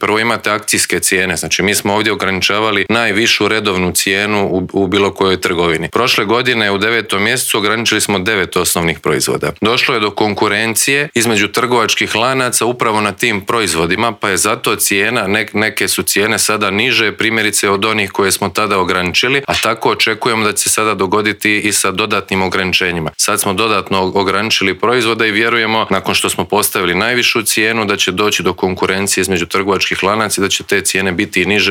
Prvo imate akcijske cijene, znači mi smo ovdje ograničavali najvišu redovnu cijenu u bilo kojoj trgovini. Prošle godine u 9. mjesecu ograničili smo 9 osnovnih proizvoda. Došlo je do konkurencije između trgovačkih lanaca upravo na tim proizvodima, pa je zato cijena, neke su cijene sada niže, primjerice od onih koje smo tada ograničili, a tako očekujemo da će se sada dogoditi i sa dodatnim ograničenjima. Sad smo dodatno ograničili proizvode i vjerujemo, nakon što smo postavili najvišu cijenu, da će doći do konkurencije između trgovačkih lanaca i da će te cijene biti i niže od